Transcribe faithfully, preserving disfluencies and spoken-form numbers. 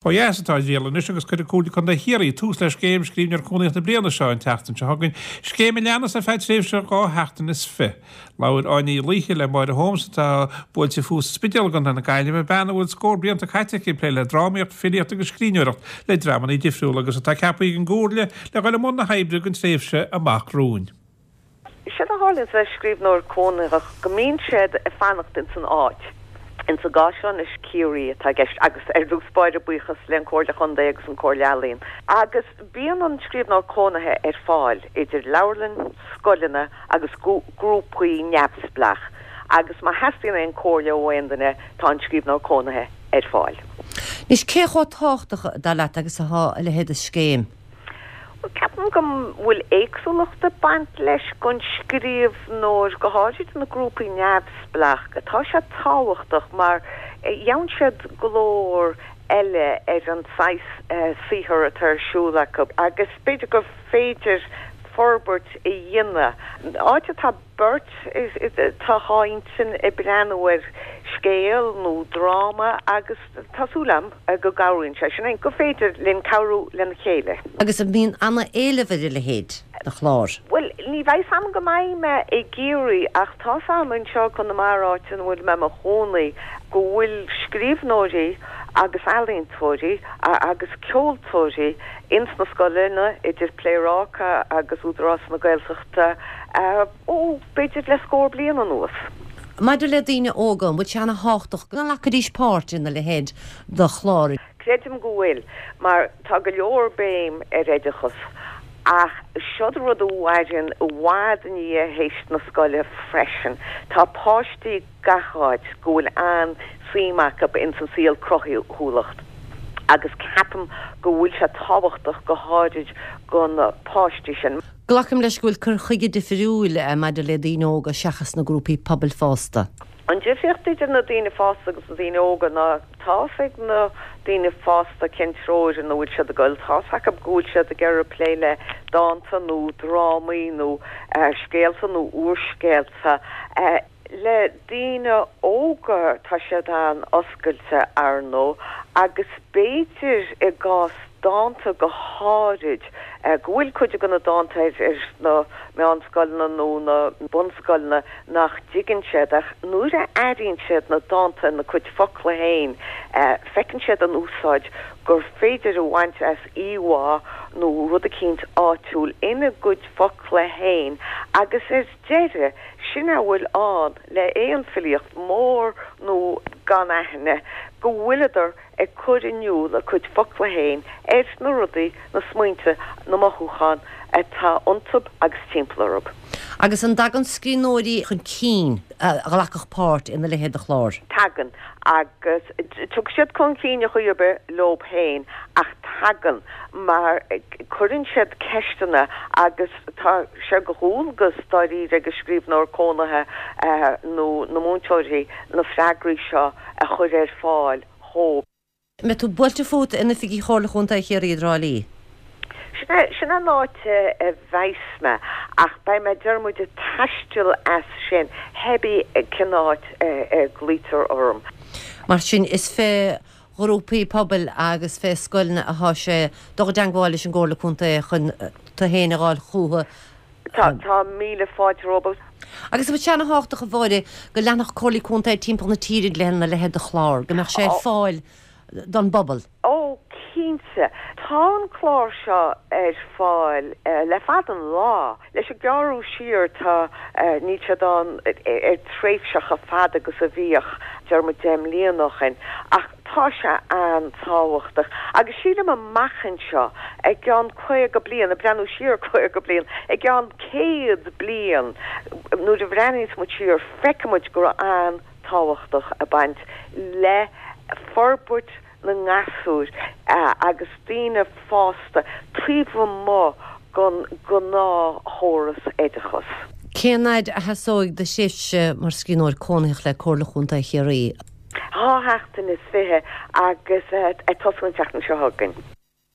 Ó dheas atá a riail anois agus cuirfidh Comhairle Contae Chiarraí tús le scéim Scríbhneoir Cónaitheach na bliana seo an tseachtain seo chugainn, scéim a leanas ar feadh tréimhse dhá sheachtain is fiche. Labhair Áine Ní Laoithe le Máire Holmes atá buailte fúithi sa Spidéal i gContae na Gaillimhe, bean a bhfuil scór blianta caite aici ag plé le drámaíocht, filíocht agus scríbhneoireacht le dreamanna difriúla agus atá ceaptha ag an gComhairle le dhul i mbun na hoibre don tréimhse amach romhainn. Séard a tharlaíonn le scríbhneoir cónaitheach go mbíonn siad ag fanacht ins an áit. Ins an gcás seo anois Ciarraí atá i gceist agus ar dtús báire buíochas le an Comhairle Chontae agus an Comhairle Ealaíon. Agus bíonn an scríbhneoir cónaithe ar fáil idir leabharlann, scoileanna agus grúpaí neamhspleách agus má theastaíonn aon comhairle ó aon duine tá an scríbhneoir cónaithe ar fáil. Anois cé chomh tábhachtach dar leat agus atá a leithéid de scéim? Bhuel ceapaim go bhfuil éagsúlacht ag baint leis don scríbhneoir, go háirid na grúpaí neamhspleách. Tá sé tábhachtach mar gheobhann siad glór eile ar an saghas saothar atá ar siúl acu agus b'fhéidir gur féidir forbairt a dhéanamh. Áit atá beirt tá dhá intinn ag breathnú ar scéal nó dráma agus tá súil agam go gcabhraíonn sé sin gur féidir linn cabhrú lena chéile. Agus an mbíonn an-éileamh ar a leithéid de chlár? Bhuel, ní bheidh 's agam go mbeidh mé i gCiarraí ach tá 's agam anseo i gConamara áit ina bhfuil mé i mo chónaí go bhfuil scríbhneoirí agus ealaíontóirí agus ceoltóirí ins na scoileanna idir Pléaráca agus Údarás na Gaeltachta ó b'fhéidir le scór bliain anuas. Maidir le daoine óga, an bhfuil sé ana-thábhachtach go nglacfaidís páirt ina leithéid de chlár? Creidim go bhfuil, mar tá go leor béim ar oideachas ach seod rud a mhaireann i bhfad i ndiaidh théis na scoile freisin. Tá páistí gach áit go bhfuil an-suim acu ins an saol cruthúlacht agus ceapaim go bhfuil sé tábhachtach go háirid do na páistí sin. Glacaim leis go bhfuil cur chuige difriúil maidir le daoine óga seachas na grúpaí pobail fásta. An difríocht idir na daoine fásta agus na daoine óga ná tá 's ag na daoine fásta cén treoir ina bhfuil siad ag goil, tá 's acu go bhfuil siad ag iarraidh plé le dánta nó drámaí nó scéalta nó úrscéalta. Le daoine óga tá siad an-oscailte ar ndóigh agus b'fhéidir i gcás dánta go háirid go bhfuil cuid de na dánta ar na meánscoileanna nó na bunscoileanna nach dtuigeann siad ach nuair a airíonn siad na dánta ina gcuid focla féin feiceann siad an úsáid gur féidir a bhaint as íomhá nó rud eicínt áitiúil ina gcuid focla féin agus ar deireadh sin a bhfuil ann le aon filíocht mór nó gan aithne go bhfuileadar ag cur in iúl a cuid focla féin ar na rudaí, na smaointe, na mothúcháin atá iontu agus timpeall orthu. Agus an dtagann scríbhneoirí chun cinn a ghlacfadh páirt ina leithéid de chlár? Tagann, agus tiocfaidh siad chun cinn ar chaoi ar bith leob féin ach tagann mar cuireann siad ceisteanna agus tá sé de dhualgas dáiríre ag an scríbhneoir cónaithe nó na múinteoirí na freagraí seo a chur ar fáil dhóibh. An mbeidh tú buailte fút in oifigí Chomhairle Chontae Chiarraí i dTrá Lí? Sin é, sin an áit a bheas mé ach beidh mé, deir muid, ag taisteal as sin, hébí cén áit a nglaoitear orm. Mar sin, is fé ghrúpaí pobail agus fé scoileanna atá sé dul i dteangmháil leis an gComhairle Contae chun tú féin a dh'fháil chúthu. Tá, tá míle fáilte rompu. Agus an bhfuil sé ana-thábhachtach, a Mháire, go leanfadh Comhairlí Contae timpeall na tíre lena leithéid de chlár, go mbeadh sé ar fáil don bpobal? Ó, cinnte. Tá an clár seo ar fáil le fada an lá. Leis an gearradh siar tá, níl siad ann ar tréimhse chomh fada agus a bhíodh, deir muid deich mbliana ó shin, ach tá sé an-tábhachtach. Agus sílim amach anseo, i gceann caoga bliain, ag breathnú siar caoga bliain, i gceann céad bliain, nuair a bhreathnaíos muid siar, feicfidh muid go raibh an-tábhachtach ag baint le forbairt na ngasúr agus daoine fásta taobh amuigh den ghnáthchóras oideachais. Cén fhaid a sheasóidh do thréimhse mar scríbhneoir cónaitheach le Comhairle Chontae Chiarraí? Dhá sheachtain is fiche agus ag tosú an tseachtain seo chugainn.